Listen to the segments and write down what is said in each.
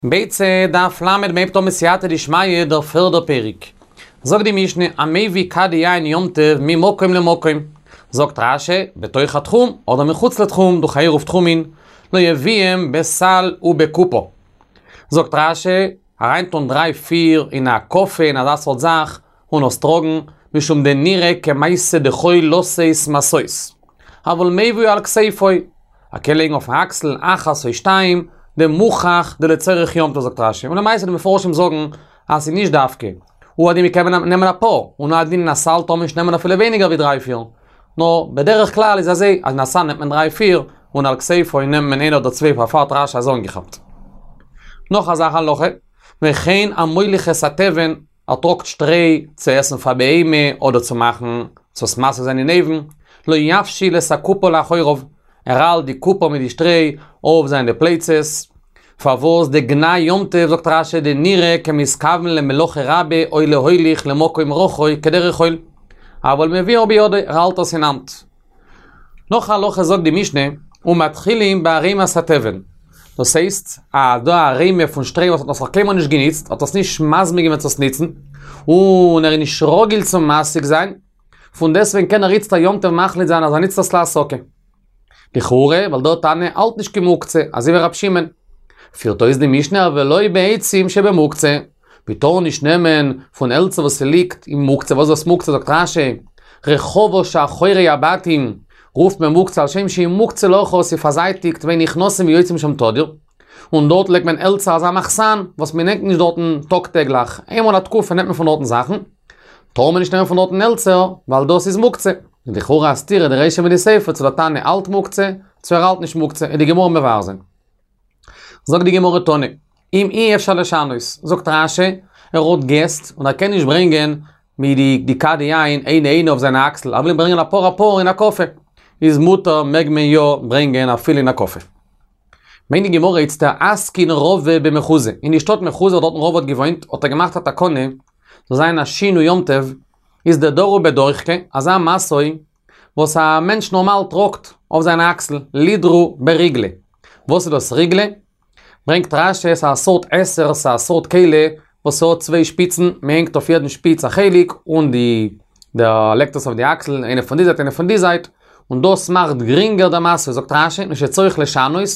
ביצה דף ל מ'הייבט אן בסייעתא דשמיא דער פערדער פרק. זאגט די משנה המביא כדי יין יום טוב ממקום למקום. זאגט רש"י, בתוך התחום אדער מחוץ לתחום דורך עירוב תחומין, לא יביאם בסל ובקופה. זאגט רש"י, אריינטון דריי פיר אין א קופה אין אזא סארט זאך און עס טראגן, משום דנראה כמעשה דחול לשאת משאות. אבל מביאו על כתפו, ער קען לייגן אויפן אקסל אחת או שתיים, דמוכח דלצורך יום טוב זאגט רש"י, און למעשה די מפרשים זאגן אז ס'איז נישט דווקא, הוא הדין מ'קען נעמען אפאר, און הוא הדין אין א סל טאר מען נישט נעמען אפילו ווייניגער ווי דריי פיר, נאר בדרך כלל איז אזוי אז אין א סל נעמט מען דריי פיר, און על כתפו נעמט מען איינער אדער צוויי פארפאר האט רש"י אזוי אנגעכאפט. נאך אזא הלכה, וכן המוליך את התבן ער טראגט שטרוי צו עסן פאר בהמה אדער צו מאכן צו עס מסיק זיין אין אויוון, לא יפשיל את הקופה לאחוריו, ער האלט די קופה מיט די שטרוי אויף זיינע פלייצעס, פארוואס דגנאי יום טוב זאגט רש"י דנראה כמתכוון למלאכה רבה או להוליך למקום רחוק כדרך חול, אבל מביאה בידו, ער האלט עס אין האנט. נאך א הלכה זאגט די משנה, ומתחילים בערימת התבן. דאס הייסט, אז דא א ערימה פון שטרוי וואס האט נאך קיינמאל נישט געניצט, האט עס נישט מזמין געווען צו עס ניצן, און ער איז נישט רגיל צו מסיק זיין, פון דעסטוועגן קען ער איצט א יום טוב מחליט זיין אז ער ניצט עס להסקה. לכאורה, ווייל דער תנא האלט נישט כמוקצה, אזוי ווי רב שמעון. פירט אויס די משנה אבל לא בעצים שבמוקצה. מען טאר נישט נעמען פון העלצער וואס ס'ליגט אין מוקצה, וואס איז דאס מוקצה זאגט רש"י, רחבה שאחורי הבתים, רופט מען מוקצה על שם שהיא מוקצה לאחור ס'איז פארזייטיגט ואין נכנסים ויוצאים משם תדיר, און דארט לייגט מען העלצער אזא מחסן וואס מען נעמט נישט דארטן טאג טעגליך, איינמאל א תקופה נעמט מען פון דארטן זאכן, טאר מען נישט נעמען פון דארטן העלצער ווייל דאס איז מוקצה. איז לכאורה א סתירה די רישא מיט די סיפא צו דער תנא האלט מוקצה צו ער האלט נישט מוקצה, וועט די גמרא מבאר זיין. זאגט די גמרא תנא, אם אי אפשר לשנות, זאגט רש"י, ער האט געסט און ער קען נישט ברענגען מיט די די כדי יין איינע איינע אויף זיינע אקסל, ער וויל ברענגען אפאר אפאר אין א קופה, איז מותר מעג מען יא ברענגען אפילו אין א קופה. ברענגט די גמרא איצטער אתקין רבא במחוזא, אין די שטאט מחוזא וואו דארטן רבא האט געוואוינט האט ער געמאכט א תקנה, זאל זיין א שינוי יום טוב, איז דדרו בדוחקא, אזא משוי וואס א מענטש נארמאל טראגט אויף זיין אקסל, לידרו בריגלא. וואס איז דאס ריגלא? ברענגט רש"י ס'איז א סארט עשר, ס'איז א סארט כלי וואס האט צוויי שפיצן, מען הענגט אויף יעדן שפיץ א חלק, און די דער לייגט עס אויף די אקסל, איינע פון די זייט איינע פון די זייט, און דאס מאכט גרינגער די משא, זאגט רש"י, מפני שצריך לשנות,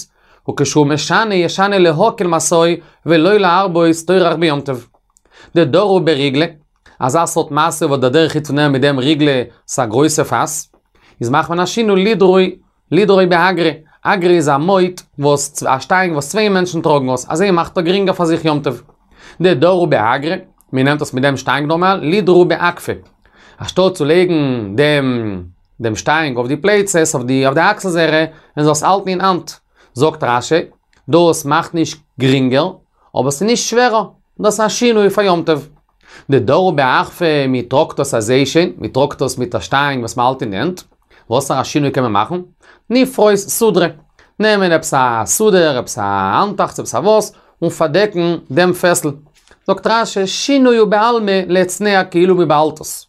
וכשהוא משנה ישנה להקל משאו ולא להרבות טורח ביום טוב. דדרו בריגלא, אזא סארט משא וואס דער דרך איז צו נעמען מיט דעם ריגלא ס'א גרויסע פאס, איז מאכט מען א שינוי לידרו לידרו באגרא, אגרא איז א מוט וואס א שטאנג וואס צוויי מענטשן טראגן עס, אזוי מאכט ער גרינגער פאר זיך יום טוב. דדרו באגרא, מען נעמט עס מיט דעם שטאנג נארמאל, לידרו באקפא. אנשטאט צו לייגן דעם דעם שטאנג אויף די פלייצעס, אויף די אויף די אקסל זייערע, און זאל עס האלטן אין האנט. זאגט רש"י, דאס מאכט נישט גרינגער, אבער ס'איז נישט שווערער, דאס איז א שינוי פאר יום טוב. דדרו באחפא, מען טראגט עס אזוי שוין, מען טראגט עס מיט א שטאנג וואס מען האלט אין די הענט, וואסערע א שינוי קען מען מאכן? נפרוס סודרא, נעמען עפעס א סודר, עפעס א האנטעכץ, עפעס א וואס, און פארדעקן דעם פעסל. זאגט רש"י, שינוי הוא בעלמא להצנע כאילו מען באהאלט עס.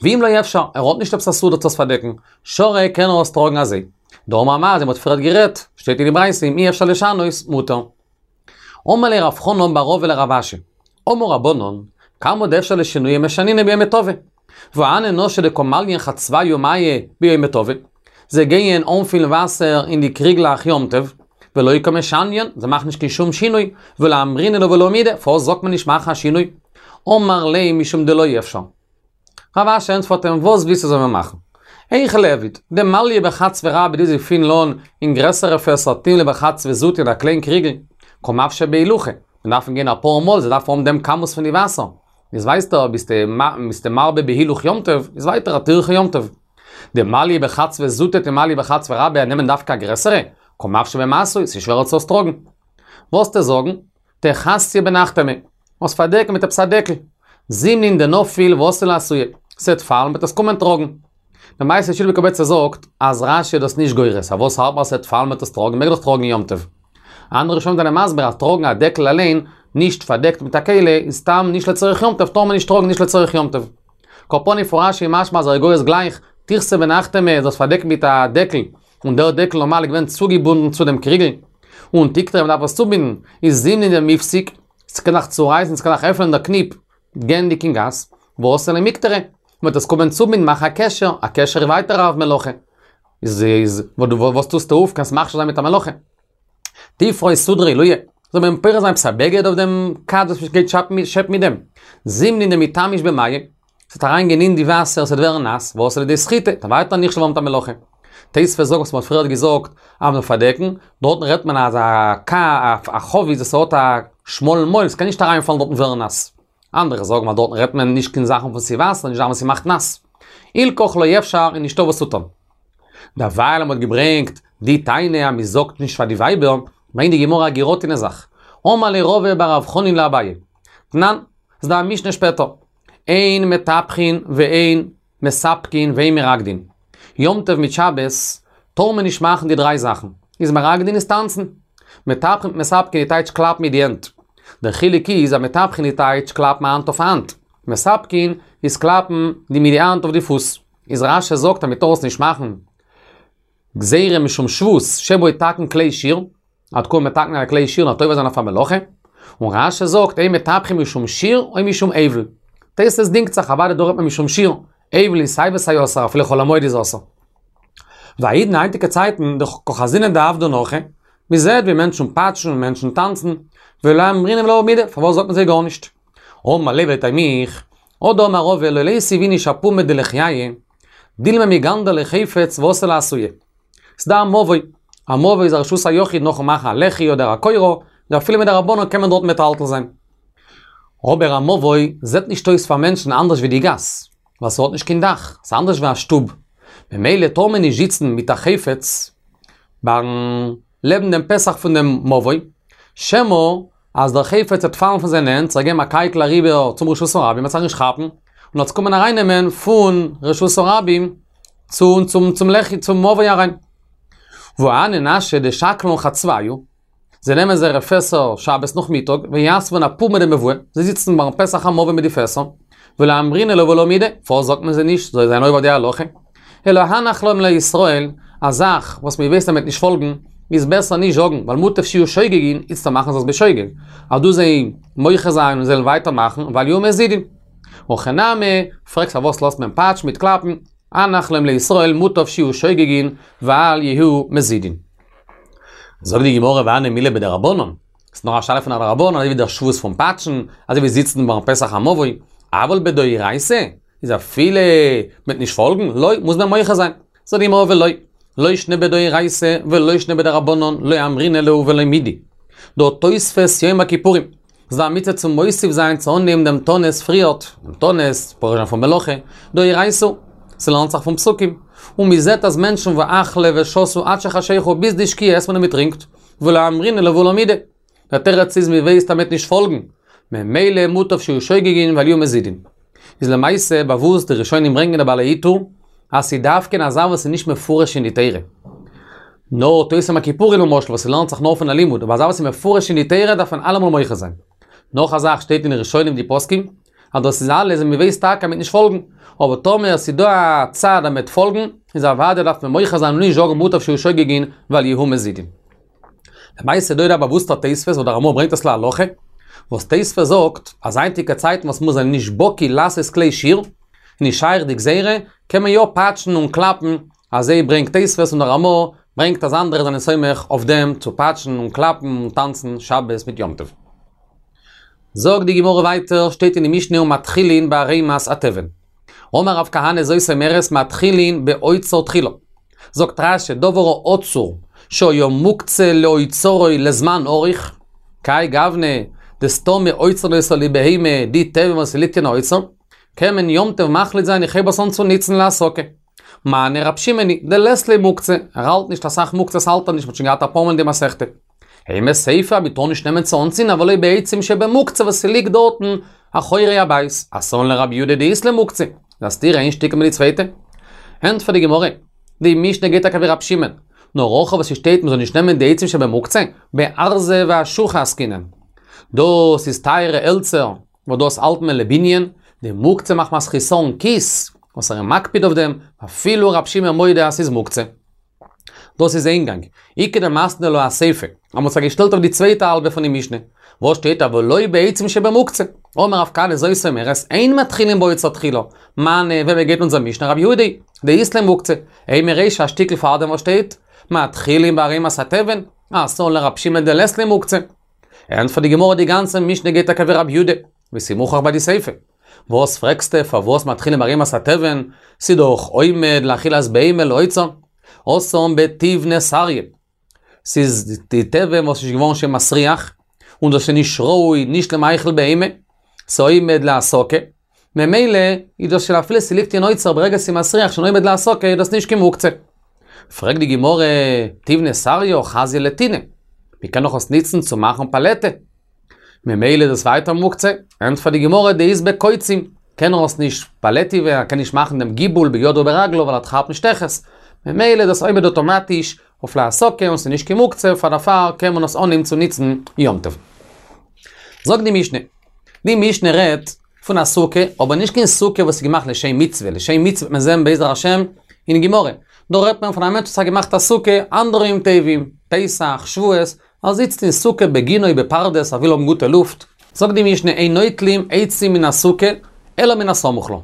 ואם לא אפשר, ער האט נישט עפעס א סודר צו עס פארדעקן, שרי קען ער עס טראגן אזוי. דאמר מר, אזוי מ'האט פריערט גערעדט, שטייט אין די ברייתא אם אי אפשר לשנות, מותר. אמר ליה רב חנן בר רבא לרב אשי, אמור רבנן, כמה דאפשר לשנויי משנינן ביומא טבא. והא הני נשי דקא מליין חצבייהו מיא ביומא טבא. זיי גייען אנפילן וואסער אין די קריגלעך יום טוב, ולא קא משניין, זיי מאכן נישט קיין שום שינוי, ולא אמרינן להו ולא מידי, פארוואס זאגט מען נישט מאכן א שינוי? אמר ליה משום דלא אפשר. רב אשי ענטפערט אים, וואס ווילסטו זאל מען מאכן? היכי ליעביד, דמליא בחצבא רבי די זיי פילן אן אין גרעסערע פעסער תימלי בחצבא זוטא אין א קליין קריגל, קא מפשי בהילוכא, מיר דארפן גיין אפאר מאל, זיי דארפן האבן דעם כמות פון די וואסער. איז ווייסטו ביסטו מרבה בהילוך יום טוב, איז ווייטער א טירחא יום טוב. דמליא בחצבא זוטא תימלי בחצבא רבה נעמען דווקא א גרעסערע, קא מפשי במשוי, ס'איז שווערער צו עס טראגן. וועסטו זאגן, תכסיה בנחתמא, עס פארדעקן מיט עפעס א דעקל. זימנין דנפיל ואתי לאתויי, ס'עט פאלן מ'עט עס קומען טראגן. למעשה שלהי מקובצא זאגט אז רש"י איז דאס נישט גורס, פארוואס האלט מען אז ס'עט פאלן מ'עט עס טראגן, מעג דאך טראגן יום טוב. אנדערע ראשונים זענען מסביר אז טראגן א דעקל אליין, נישט פארדעקט מיט א כלי, איז סתם נישט לצורך יום טוב, טאר מען נישט טראגן נישט לצורך יום טוב. כל פנים פון רש"י משמע אז ער איז גורס גלייך, תכסה בנחתמא, דאס פארדעקט מיט א דעקל, און דער דעקל נארמאל איז געווען צוגעבונדן צו דעם קריגל. און תיקטריה מ'דארף עס צובינדן, איז זימנין דמיפסיק, ס'קען זיך צורייסן, ס'קען זיך עפענען דער קניפ, גייענדיג אין גאס, ואתי למיקטריה, מ'וועט עס קומען צובינדן מאכן א קשר, א קשר איז ווייטער א מלאכה. איז איז וואס טוסטו אויף, קענסט מכשיל זיין מיט א מלאכה. תפרוס סודרא עילויה, זאל מען פורס זיין עפעס א בגד אויף דעם כד וואס מ'גייט שעפן מיט דעם. זימנין דמיתמיש במיא, ס'וועט אריינגיין אין די וואסער, ס'וועט ווערן נאס, ואתי לידי סחיטה, וועט ווייטער נכשל ווערן מיט א מלאכה. תוספות זאגט וואס מ'האט פריערט געזאגט אז מ'זאל פארדעקן, דארטן רעדט מען אז א כ א חבית וואס האט א שמאלן מויל, ס'קען נישט אריינפאלן דארטן ווערן נאס. אנדערע זאגן אז דארטן רעדט מען נישט קיין זאכן וואס איז וואסער, נישט זאכן וואס ס'מאכט נאס. הילכך לא אפשר איז נישטא וואס צו טון. דערווייל אז מ'האט געברענגט די טענה אז מ'זאגט נישט פאר די ווייבער, ברענגט די גמרא א געראטענע זאך. אמר ליה רבא בר רב חנין לאביי. תנן, ס'דא א משנה שפעטער. אין מטפחין ואין מספקין ואין מרקדין. יום טוב מיט שבת טאר מען נישט מאכן די דריי זאכן. איז מרקדין איז טאנצן. מטפחין מיט מספקין איז טייטש קלאפן מיט די הענט. דער חילוק איז אז מטפחין איז טייטש קלאפן האנט אויף האנט. מספקין איז קלאפן די מיט די האנט אויף די פוס. איז רש"י זאגט אז מען טאר עס נישט מאכן גזירה משום שבות שמא יתקן כלי שיר. מ'וועט קומען מתקן זיין א כלי שיר און עובר זיין אויף א מלאכה, און רש"י זאגט או מטפחין משום שיר או משום אבל. תוס' דינגט זיך אוודאי דא רעדט מען משום שיר, אבל איז סיי ווי סיי אסור אפילו חול המועד איז אסור. והאידנא היינטיגע צייטן דקא חזינן דעבדין הכי, מען זעט ווי מענטשן פאטשן און מענטשן טאנצן, ולא אמרינן להו מידי, פארוואס זאגט מען זיי גארנישט? אמר ליה ולטעמיך, הא דאמר רבא לא ליתיב איניש אפומא דלחייא, דילמא מיגנדר ליה חפץ ואתי לאתויי. ס'דא א מבוי. א מבוי איז א רשות היחיד נאכן מאכן א לחי אדער א קורה, ואפילו מדרבנן קען מען דארט מטלטל זיין. אבער א מבוי זעט נישט אויס פאר מענטשן אנדערש ווי די גאס, ווייל ס'האט נישט קיין דאך, ס'איז אנדערש ווי א שטוב. ממילא טאר מען נישט זיצן מיט א חפץ ביים לעבן דעם פתח פון דעם מבוי, שמא אז דער חפץ וועט פאלן פון זיינע הענט, זיך געבן א קייקל אריבער צום רשות הרבים, מ'וועט זיך נישט כאפן, און עס קומען ארייננעמען פון רשות הרבים צו צום צום לחי צום מבוי אריין. והני נשי דשקלן חצבייהו, זיי נעמען זייערע פעסער שבת נאכמיטאג, ויתבן אפומא דמבואה, זיי זיצן ביים פתח המבוי מיט די פעסער, ולא אמרינן להו ולא מידי, פארוואס זאגט מען זיי נישט, זיי זענען עובר די הלכה? אלא הנח להם לישראל, א זאך וואס מען ווייסט אז מען וועט נישט פאלגן, איז בעסער נישט זאגן, ווייל מוטב שיהיו שוגגין, איצטער מאכן זיי עס בשוגג. אז דו זיי מוחה זיין און זיי זאלן ווייטער מאכן, ואל יהיו מזידין. הכא נמי, פרעגסט פארוואס לאזט מען פאטשן מיט קלאפן, הנח להם לישראל מוטב שיהיו שוגגין, ואל יהיו מזידין. זאגט די גמרא והני מילי בדרבנן, ס'איז נאר א שאלה פון א דרבנן, אזוי ווי דער שבות פון פאטשן, אזוי ווי זיצן ביים פתח המבוי, אבל בדאורייתא, איז אפילו מ'וועט נישט פאלגן, לא, מוז מען מוחה זיין. זאגט די גמרא ולא, לא שנא בדאורייתא ולא שנא בדרבנן, לא אמרינן להו ולא מידי. דהא תוספת יום הכיפורים. ס'איז דא א מצוה צו מוסיף זיין צו אנהייבן דעם תענית פריערט, דעם תענית, פורש זיין פון מלאכה, דאורייתא, ס'לערנט זיך פון פסוקים. און מ'זעט אז מענטשן ואכלי ושתו עד שחשכו ביז די שקיעה עסט מען און מ'טרינקט, ולא אמרינן להו ולא מידי. דער תירוץ איז מ'ווייסט אז מ'וועט נישט פאלגן, ממילא מוטב שיהיו שוגגין ואל יהיו מזידין. איז למעשה באוואוסט די ראשונים ברענגען די בעלי עיטור אז ס'איז דווקא אין א זאך וואס איז נישט מפורש אין די תורה. נאר תוס' יום הכיפורים למשל וואס ס'לערנט זיך נאר פון א לימוד, אבער א זאך וואס איז מפורש אין די תורה דארף מען אלעמאל מוחה זיין. נאך א זאך שטייט אין די ראשונים די פוסקים אז דאס איז אלעס ווען מ'ווייסט טאקע אז מ'וועט נישט פאלגן, אבער טאמער ס'איז דא א צד אז מ'וועט פאלגן, איז אוודאי דארף מען מוחה זיין און נישט זאגן מוטב שיהיו שוגגין ואל יהיו מזידין. למעשה דא איז דא א באוואוסטער תוספות וואס דער רמ"א ברענגט עס להלכה, וואס תוספות זאגט אז היינטיגע צייטן וואס מיר זענען נישט בקי לעשות כלי שיר, נישט שייך די גזירה, קען מען יא פאטשן און קלאפן, אזוי ברענגט תוספות און דער רמ"א ברענגט אז אנדערע זענען סומך אויף דעם צו פאטשן און קלאפן און טאנצן שבת מיט יום טוב. זאגט די גמרא ווייטער, שטייט אין די משנה ומתחילין בערימת התבן. אמר רב כהנא זאת אומרת מתחילין באוצר תחילה. זאגט רש"י דבר האצור שהיה מוקצה לאוצרו לזמן ארוך, כהאי גוונא דסתמא אוצרין אותו לבהמה די תבן וואס ס'ליגט אין אוצר, קען מען יום טוב מחליט זיין איך הייב עס אן צו ניצן להסקה. מני רב שמעון היא דלית ליה מוקצה, ער האלט נישט אסאך מוקצות האלט ער נישט מ'האט שוין געהאט אפאר מאל אין די מסכתא. אימא סיפא מ'טאר נישט נעמען צו אנצינדן אבל לא בעצים שבמוקצה וואס ס'ליגט דארטן אחורי הבית, אתאן לרבי יהודה דאית ליה מוקצה, איז א סתירה איין שטיקל מיט די צווייטע. ענטפערט די גמרא, די משנה גייט טאקע ווי רב שמעון, נאר הכא וואס ס'שטייט מ'זאל נישט נעמען די עצים שבמוקצה, בארזי ואשוחי עסקינן. דאס איז טייערע העלצער, וואס דאס האלט מען לבנין, דמוקצה מחמת חסרון כיס, וואס ער איז מקפיד אויף דעם, אפילו רב שמעון מודה אז ס'איז מוקצה. דאס איז איין גאנג. איכא דמתני לה אסיפא. אז מ'האט זיך געשטעלט אויף די צווייטע האלבע פון די משנה. וואס שטייט אבל לא בעצים שבמוקצה. אמר רב כהנא זאת אומרת, אין מתחילין באוצר תחילה. מני, וועמען גייט אונזער משנה? רבי יהודה היא, דאית ליה מוקצה. אימא רישא א שטיקל פארדעם וואס שטייט, מתחילין בערימת התבן, אתאן לרב שמעון דלית ליה מוקצה. ענטפערט די גמרא די גאנצע משנה גייט טאקע ווי רבי יהודה, ווי ס'איז מוכרח ביי די סיפא. וואס פרעגסטע פארוואס מתחילין בערימת התבן, ס'דאך עומד לאכילת בהמה לאוצר, התם בתיבנא סריא. ס'איז די תבן וואס איז געווארן שוין מסריח, און דאס איז נישט ראוי נישט למאכל בהמה, ס'עומד להסקה, ממילא איז דאס שוין אפילו ס'ליגט אין אוצר ברגע ס'איז מסריח שוין עומד להסקה איז דאס נישט קיין מוקצה. פרעגט די גמרא, תיבנא סריא חזיא לטינא, מ'קען דאך עס ניצן צו מאכן פאלעטע, ממילא איז עס ווייטער מוקצה, ענטפערט די גמרא דאית ביה קוצים, קען ער עס נישט פאלעטיווע, ער קען נישט מאכן דעם גיבול בידו וברגלו ווייל ער כאפט שטעכעס, ממילא איז דאס עומד אוטומאטיש אויף להסקה און ס'איז נישט קיין מוקצה, פאר דערפאר קען מען עס אנהייבן צו ניצן יום טוב. זאגט די משנה, די משנה רעדט פון א סוכה, אבער נישט קיין סוכה וואס איז געמאכט לשם מצוה, לשם מצוה וועט מען זען בעזר השם אין גמרא, דא רעדט מען פון א מענטש וואס האט געמאכט א סוכה אנדערע יום טובים, פסח, שבועות, ער זיצט אין סוכה בגינה או בפרדס, ער וויל האבן גוטע לופט. זאגט די משנה אין נוטלים עצים מן הסוכה אלא מן הסמוך לה.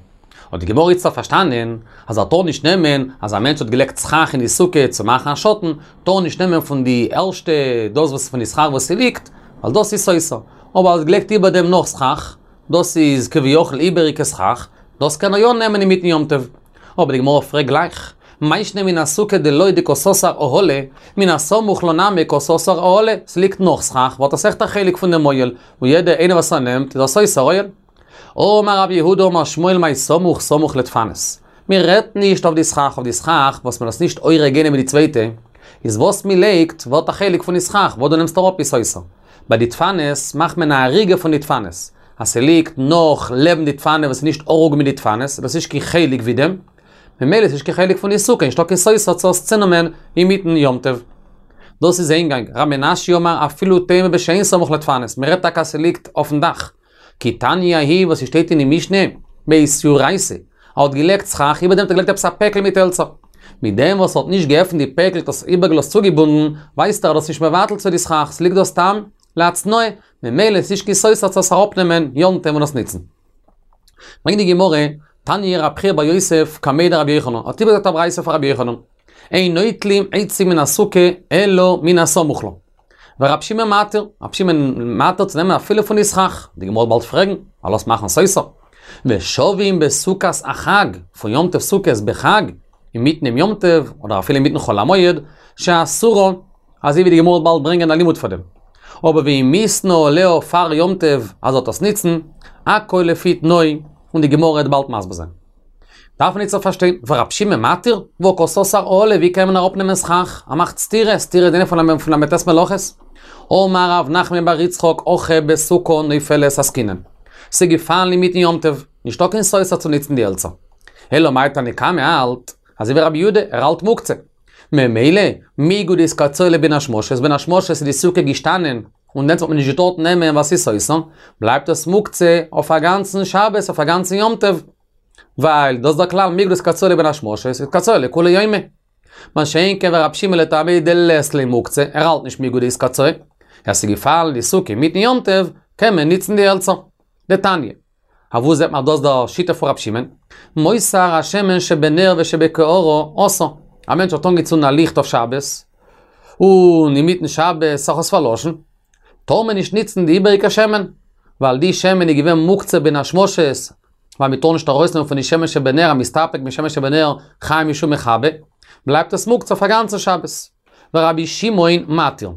האט די גמרא איצטערט פארשטאנען אז ער טאר נישט נעמען, אז א מענטש האט געלייגט סכך אין די סוכה צו מאכן א שאטן, טאר ער נישט נעמען פון די ערשטע דאס וואס פון די סכך וואס ס'ליגט, ווייל דאס איז סותר. אבער ער האט געלייגט איבער דעם נאך סכך, דאס איז כביכול איבעריגע סכך, דאס קען ער יא נעמען אינמיטן יום טוב. אבער די גמרא פרעגט גלייך, מאי שנא מן הסוכה דלא דקא סתר אהלא, מן הסמוך לה נמי קא סתר אהלא, ס'ליגט נאך סכך, ווערט עס אויכעט א חלק פון דעם אוהל, און יעדע איינער וואס ער נעמט איז ער סותר אוהל. אמר רב יהודה אמר שמואל מאי סמוך סמוך לדפנות. מען רעדט נישט אויף די סכך, אויף די סכך וואס מען איז נישט אורג איינע מיט די צווייטע, איז וואס מען לייגט ווערט א חלק פון די סכך, וואס דו נעמסט אראפ איז סותר. ביי די דפנות מאכט מען א אריגה פון די דפנות, אז ס'ליגט נאך לעבן די דפנה וואס איז נישט ארוג מיט די דפנות, דאס איז נישט קיין חלק ווי דעם, ממילא איז נישט קיין חלק פון די סוכה, נישטא קיין סותר צו עס צונעמען אינמיטן יום טוב. דאס איז איין גאנג, ר' מנשיא אמר אפילו תימא בשאין סמוך לדפנות, מ'רעדט טאקע אז ס'ליגט אויפן דאך. כי תניא ההיא וואס ס'שטייט אין די משנה, באיסיורייתא, ער האט געלייגט סכך, איבער דעם האט ער געלייגט עפעס א פעקל מיט העלצער. מיט דעם וואס ער האט נישט געעפנט די פעקל האט עס איבערגעלאזט צוגעבונדן, ווייזט ער אז דאס איז נישט מבטל צו די סכך, ס'ליגט דא סתם להתנאה, ממילא איז נישט קיין סותר צו עס אראפנעמען יום טוב און עס ניצן. ברענגט די גמרא, תניא רב חייא בר יוסף קמיה דרבי יוחנן, האט איבערגעזאגט א ברייתא פון רבי יוחנן, אין נוטלים עצים מן הסוכה אלא מן הסמוך לה. ורב שמעון מתיר, רב שמעון מתיר צו נעמען אפילו פון די סכך, די גמרא וועט באלד פרעגן, ווייל עס מאכן סותר. ושווים בסוכת החג, פון יום טוב סוכות בחג, אינמיטן דעם יום טוב, אדער אפילו אינמיטן חול המועד, שאסורה, אזוי ווי די גמרא וועט באלד ברענגען א לימוד פאר דעם. אבער ואם מיתנא עליה פאר יום טוב אז ער וועט עס ניצן, הכל לפי תנאו, און די גמרא וועט באלד מסביר זיין. דארף מען איצטערט פארשטיין, ורב שמעון מתיר? והא קא סתר אהלא, ווי קען מען אראפנעמען סכך? ער מאכט סתירה, סתירה איז איינע פון ל"ט מלאכות. אמר רב נחמן בר יצחק הכא בסוכה נופלת עסקינן. ס'איז געפאלן אינמיטן יום טוב, נישטא קיין סותר צו ניצן די העלצער. אלא מאי תנא קמא האלט, אזוי ווי רבי יהודה, ער האלט מוקצה. ממילא, מיגו דאיתקצאי לבין השמשות, בין השמשות איז די סוכה געשטאנען, און דענסט האט מען נישט געטארט נעמען ווייל ס'איז סותר, בלייבט עס מוקצה אויף א גאנצן שבת, אויף א גאנצן יום טוב. ווייל דאס איז דער כלל מיגו דאיתקצאי לבין השמשות, איתקצאי לכולי יומא. מה שאין כן ורב שמעון לטעמיה דלית ליה מוקצה, ער האלט נישט מיגו דאיתקצאי. אז ס'איז געפאלן די סוכה אינמיטן יום טוב, קען מען ניצן די העלצער. דתניא. אוואו זעט מען דאס דער שיטה פון רב שמעון? מותר השמן שבנר ושבקערה אסור. א מענטש האט אנגעצונדן א ליכט אויף שבת, און אינמיטן שבת האט זיך עס פארלאשן, טאר מען נישט ניצן די איבעריגע שמן, ווייל די שמן איז געווען מוקצה בין השמשות, ווייל מען טאר נישט ארויסנעמען פון די שמן שבנר, המסתפק משמן שבנר חייב משום מכבה, בלייבט עס מוקצה אויף א גאנצן שבת. ורבי שמעון מתיר.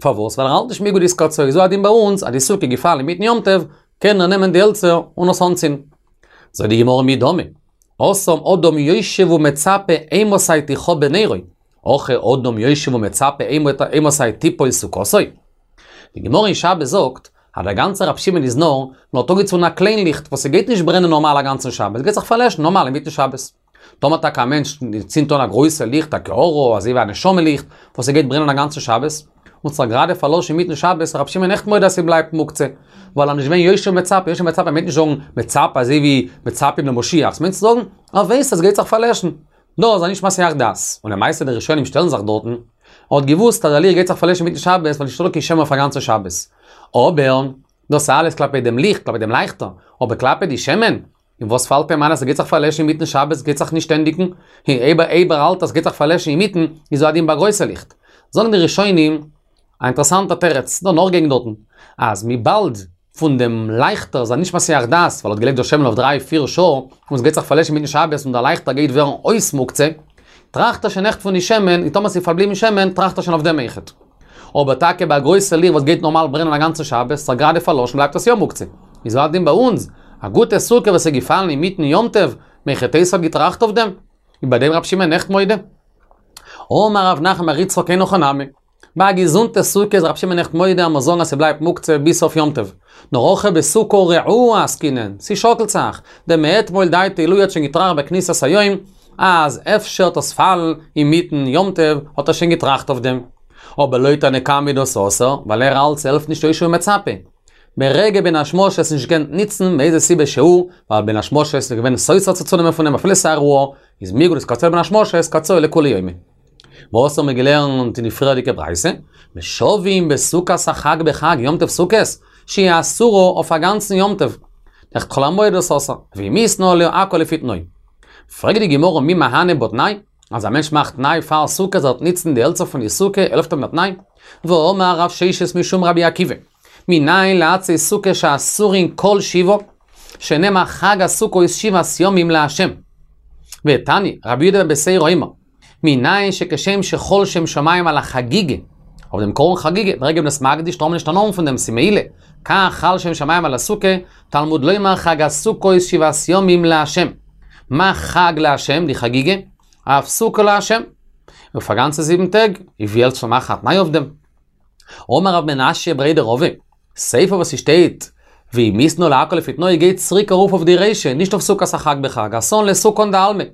פארוואס? ווייל ער האלט נישט מיגו דאיתקצאי, איז הוא הדין ביי אונז, אז די סוכה געפאלן אינמיטן יום טוב, קען ער נעמען די העלצער און עס אנצינדן. זאגט די גמרא מי דמי, התם אדם יושב ומצפה אימתי תכבה נרו, הכא אדם יושב ומצפה אימתי תיפול סוכתו. די גמרא אין שבת זאגט, אז דער גאנצער רב שמעון איז נאר, מען האט אנגעצונדן א קליין ליכט וואס ס'גייט נישט ברענען נארמאל א גאנצן שבת, ס'גייט זיך פארלעשן נארמאל אינמיטן שבת. טאמער טאקע א מענטש צינדט אן א גרויסע ליכט, א קערה, אזוי ווי א נשמה ליכט, וואס ס'גייט ברענען א גאנצן שבת, און ס'זיך גראדע פארלאשן אינמיטן שבת, איז רב שמעון אויכעט מודה אז ס'בלייבט מוקצה, ווייל ער איז נישט געווען יושב ומצפה, יושב ומצפה מיינט נישט זאגן מצפה אזוי ווי מצפים למשיח, ס'מיינט צו זאגן, ער ווייסט אז ס'גייט זיך פארלעשן. דאס איז נישט מסיח דעת, און למעשה די ראשונים שטעלן זיך דארטן, ער האט געוואוסט אז דער ליכט גייט זיך פארלעשן אינמיטן שבת ווייל נישטא דא קיין שמן אויף א גאנצע שבת. אבער, דאס אלעס כלפי דעם ליכט, כלפי דעם לייכטער, אבער כלפי די שמן, און וואס פאלט אים איין אז ס'גייט זיך פארלעשן אינמיטן שבת גייט זיך נישט ענדיגן, אויב ער האלט אז ס'גייט זיך פארלעשן אינמיטן, איז הוא הדין ביי גרויסע ליכט. זאגן די ראשונים א אינטערעסאנטע תירוץ, דא נאכגעגן דארטן, אז וויבאלד פון דעם לייכטער איז ער נישט מסיח דעת, ווייל ער האט געלייגט דא שמן אויף דריי פיר שעה, און ס'גייט זיך פארלעשן אינמיטן שבת און דער לייכטער גייט ווערן אויס מוקצה, טראכט ער שוין עכט פון די שמן, און טאמער ס'איז פארבליבן שמן, טראכט ער שוין אויף דעם אויכעט. אבער טאקע ביי א גרויסע ליכט וואס גייט נארמאל ברענען א גאנצע שבת, ס'איז גראדע פארלאשן בלייבט עס יא מוקצה. איז הוא הדין ביי אונז, א גוטע סוכה וואס איז געפאלן אינמיטן יום טוב, מהיכי תיתי האט געטראכט אויף דעם? איז ביי דעם רב שמעון עכט מודה. אמר רב נחמן בר יצחק אין הכי נמי. ביי א געזונטע סוכה איז רב שמעון עכט מודה אז מ'זאל זאגן אז ס'בלייבט מוקצה ביז סוף יום טוב. נאר הכא בסוכה רעועה עסקינן, ס'שאקלט זיך, דמאתמול דעתיה עילואי האט שוין געטראכט בכניסת היום אז אפשר וועט עס פאלן אינמיטן יום טוב האט ער שוין געטראכט אויף דעם. אבער לויט תנא קמא איז דאס אסור, ווייל ער האלט ס'העלפט נישט יושב ומצפה. ברגע בין השמשות נישט געקענט ניצן מאיזה סיבה שהוא, ווייל בין השמשות איז געווען סותר צו צונעמען פון אים אפילו ס'איז א רעועה, איז מיגו דאיתקצאי לבין השמשות קצאי לכולי יומא. וואס האבן מיר געלערנט אין די פריערדיגע ברייתא? מושבים בסוכת החג בחג יום טוב סוכות, שהיא אסורה אויף א גאנצן יום טוב. נאר חול המועד איז אסור, ואם התנה עליה הכל לפי תנאו. פרעגט די גמרא מי מהני בה תנאי? אז א מענטש מאכט תנאי פאר סוכות ער וועט ניצן די העלצער פון די סוכה העלפט אים דער תנאי? והאמר רב ששת משום רבי עקיבא, מנין לעצי סוכה שאסורין כל שבעה, שנאמר חג הסוכות שבעת ימים לה'. ותניא, רבי יהודה בן בתירא אומר, מנין שכשם שחל שם שמים על החגיגה, אויף דעם קרבן חגיגה, ברגע מ'איז מקדיש טאר מען נישט הנאה האבן פון דעם, ס'איז מעילה, כך חל שם שמים על הסוכה, תלמוד לומר חג הסוכות שבעת ימים לה'. מה חג לה', די חגיגה? אף סוכה לה'. אויף א גאנצע זיבן טעג, איז ווי העלפט צו מאכן א תנאי אויף דעם? אמר רב מנשיא בריה דרבא, סיפא וואס ס'שטייט ואם התנה עליה הכל לפי תנאו גייט צוריק ארויף אויף די רישא, נישט אויף סוכת החג בחג, אתאן לסוכן דעלמא.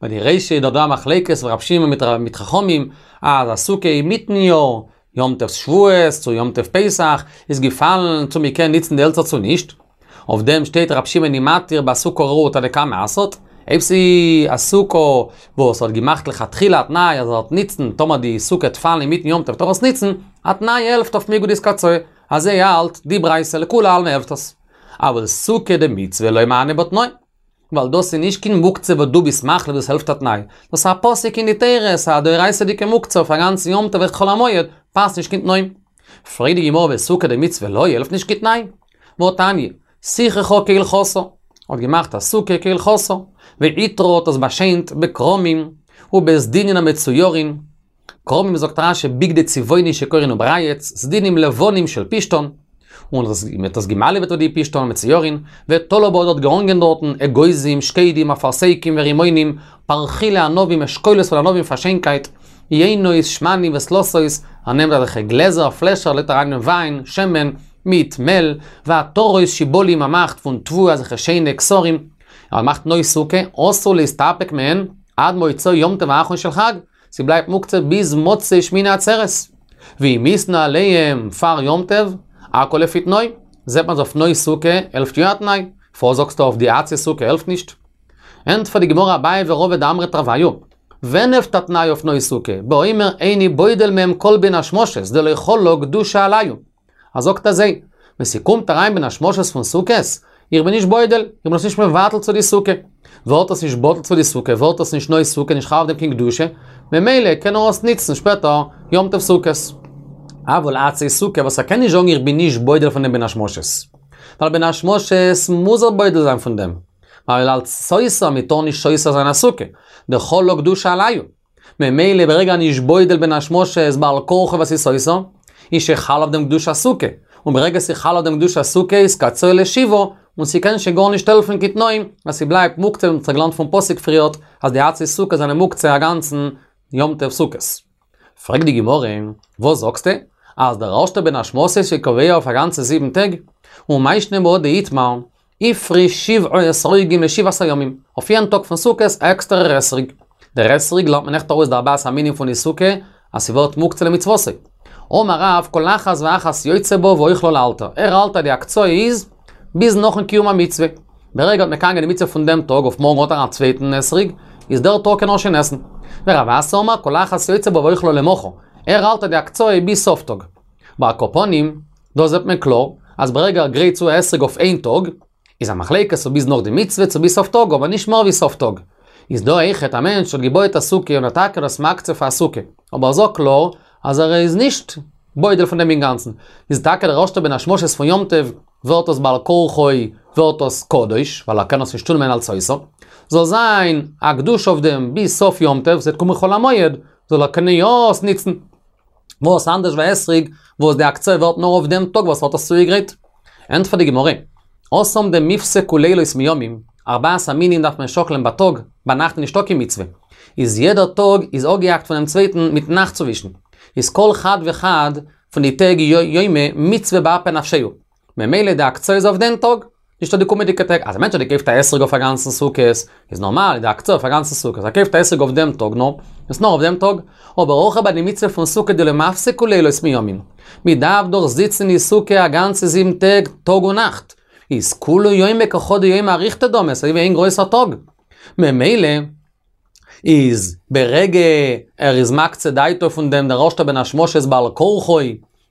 ביי די רישא איז דאך דא א מחלוקת פון רב שמעון מיט חכמים, אז א סוכה אינמיטן יאר, יום טוב שבועות צו יום טוב פסח, איז געפאלן צו מ'קען ניצן די העלצער צו נישט. אויף דעם שטייט רב שמעון איז מתיר בסוכה רעועה תנא קמא אסר'ט, אויב ס'איז א סוכה וואס האט געמאכט לכתחילה א תנאי אז ער וועט ניצן טאמער די סוכה וועט פאלן אינמיטן יום טוב וועט ער עס ניצן, א תנאי העלפט אויף מיגו דאיתקצאי, אזוי האלט די ברייתא לכולי עלמא העלפט עס. אבל סוכה דמצוה לא מהני בה תנאי. ווייל דאס איז נישט קיין מוקצה וואס דו ביסט מחליט וואס העלפט א תנאי, דאס איז א פסוק אין די תורה, ס'איז א דאורייתא'דיגע מוקצה אויף א גאנצן יום טוב אויך חול המועד, פאסט נישט קיין תנאים. פרעגט די גמרא וסוכה דמצוה לא העלפט נישט קיין תנאי? והתניא, סיככה כהלכתה, האט געמאכט א סוכה כהלכתה, ועיטרה האט עס באשיינט בכרמים ובסדינין המצוירין, כרמים זאגט רש"י בגדי צבעוני שקורין וברייץ, סדינים לבנים של פשתן, און מען האט עס געמאלעוועט אויף די פשתן מצוירין, ותלה בה האט געהאנגען דארטן אגוזים, שקדים, אפרסקים ורימונים, פרחילי ענבים, אשכולות פון ענבים פאר שיינקייט, יינות, שמנים ודלתות, ער נעמט אזעלכע גלעזער, פלעשער, לייגט אריין אין וויין, שמן, מיט מעל, ועטרות שיבולים ער מאכט פון תבואה אזעלכע שיינע כתרים, ער מאכט נוי סוכה, אסור להסתפק מהן עד מוצאי יום טוב האחרון של חג, ס'בלייבט מוקצה ביז מוצאי שמיני עצרת. ואם התנה עליהם פאר יום טוב, הכל לפי תנאו, זעט מען אז אויף נוי סוכה העלפט יא א תנאי, פארוואס זאגסטו אויף די עצי סוכה העלפט נישט? ענטפערט די גמרא אביי ורבא דאמרי תרוייהו, ווען העלפט א תנאי אויף נוי סוכה? באומר איני בודל מהם כל בין השמשות דלא חלה קדושה עלייהו. ער זאגט אזוי, ווען ס'קומט אריין בין השמשות פון סוכות, איך בין נישט בודל, איך בין עס נישט מבטל צו די סוכה. ווערט עס נישט בטל צו די סוכה, ווערט עס נישט נוי סוכה, נישט חל אויף דעם קיין קדושה, ממילא קען ער עס ניצן שפעטער יום טוב סוכות. אבל עצי סוכה וואס ער קען נישט זאגן איך בין נישט בודל פון דעם בין השמשות. ווייל בין השמשות מוז ער בודל זיין פון דעם. ווייל אלץ סותר, מ'טאר נישט סותר זיין א סוכה. דחלה קדושה עלייהו. ממילא ברגע נישט בודל בין השמשות בעל כרחו וואס איז סותר, איז שחל אויף דעם קדושת סוכה, און ברגע ס'חל אויף דעם קדושת סוכה איז קצאי לשבעה, און ס'קען שוין גארנישט העלפן קיין תנאים, אז ס'בלייבט מוקצה ווי מ'האט געלערנט פון פסוק פריערט אז די עצי סוכה זענען מוקצה א גאנצן יום טוב סוכות. פרעגט די גמרא, וואס זאגסטו? אז דער ערשטער בין השמשות איז קובע אויף א גאנצע זיבן טעג? ומאי שנא בהא דאיתמר, הפריש שבעה אתרוגים לשבעת הימים, אויף יעדן טאג פון סוכות א עקסטערער אתרוג. דער אתרוג לערנט מען אויכעט ארויס די ארבעת המינים פון די סוכה, אז ס'ווערט מוקצה למצוותו. אמר רב, כל אחת ואחת יוצא בה ואוכלה לאלתר. ער האלט אז די הקצאה איז ביז נאכן קיום המצוה. ברגע האט מקיים געווען די מצוה פון דעם טאג, אויף מארגן האט ער א צווייטן אתרוג, איז דער טאג קען ער שוין עסן. ורב אסי אמר כל אחת יוצא בה ואוכלה למחר, ער האלט אז די הקצאה איז ביז סוף טאג. ועל כל פנים, דא זעט מען קלאר, אז ברגע ער גרייט צו א אתרוג אויף איין טאג, איז א מחלוקת צו ביז נאך די מצוה צו ביז סוף טאג, אבער נישט מער ווי סוף טאג. איז דא אויכעט א מענטש האט געבויעט א סוכה און האט טאקע דאס מקצה פאר א סוכה, אבער ער זאגט קלאר אז ער איז נישט בודל פון דעם אינגאנצן, איז טאקע דער ערשטע בין השמשות פון יום טוב ווערט עס בעל כרחו ווערט עס קדוש, ווייל ער קען עס נישט צונעמען אלס סוכה, זאל זיין א קדושה אויף דעם ביז סוף יום טוב, ס'וועט קומען חול המועד, זאל ער קענען יא עס ניצן. וואס אנדערש ווי אתרוג, וואס די הקצאה ווערט נאר אויף דעם טאג וואס ער האט עס צוגעגרייט. ענטפערט די גמרא, התם דמיפסקו לילות מימים, ארבעת המינים דארף מען שאקלען בייטאג, ביינאכט איז נישטא קיין מצוה. איז יעדער טאג איז אפגעהאקט פונעם צווייטן מיט נאכט צווישן. איז כל חד וחד פון די טעג יומא מצוה באפי נפשייהו. ממילא די הקצאה איז אויף דעם טאג, נישט אויף די קומענדיגע טעג. אז א מענטש האט געקויפט א אתרוג אויף א גאנצן סוכות, איז נארמאל איז די הקצאה אויף א גאנצן סוכות. ער קויפט א אתרוג אויף דעם טאג נאר, איז נאר אויף דעם טאג. אבער הכא ביי די מצוה פון סוכה דלא מפסקו לילות מימים. מען דארף דאך זיצן אין סוכה א גאנצע זיבן טעג, טאג און נאכט. איז כולהו יומא כחדא יומא אריכתא דמי, ס'אזוי ווי איין גרויסער טאג. ממילא איז ברגע ער איז מקצה דעתו פון דעם דער ערשטער בין השמשות בעל כרחו,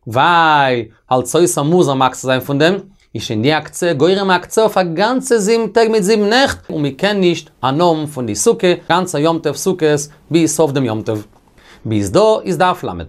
ווייל אלס סוכה מוז ער מקצה זיין פון דעם, איז שוין די הקצאה גורם הקצאה אויף א גאנצע זיבן טעג מיט זיבן נעכט, און מען קען נישט הנאה האבן פון די סוכה גאנצע יום טוב סוכות ביז סוף דעם יום טוב. ביז דא איז דף ל'.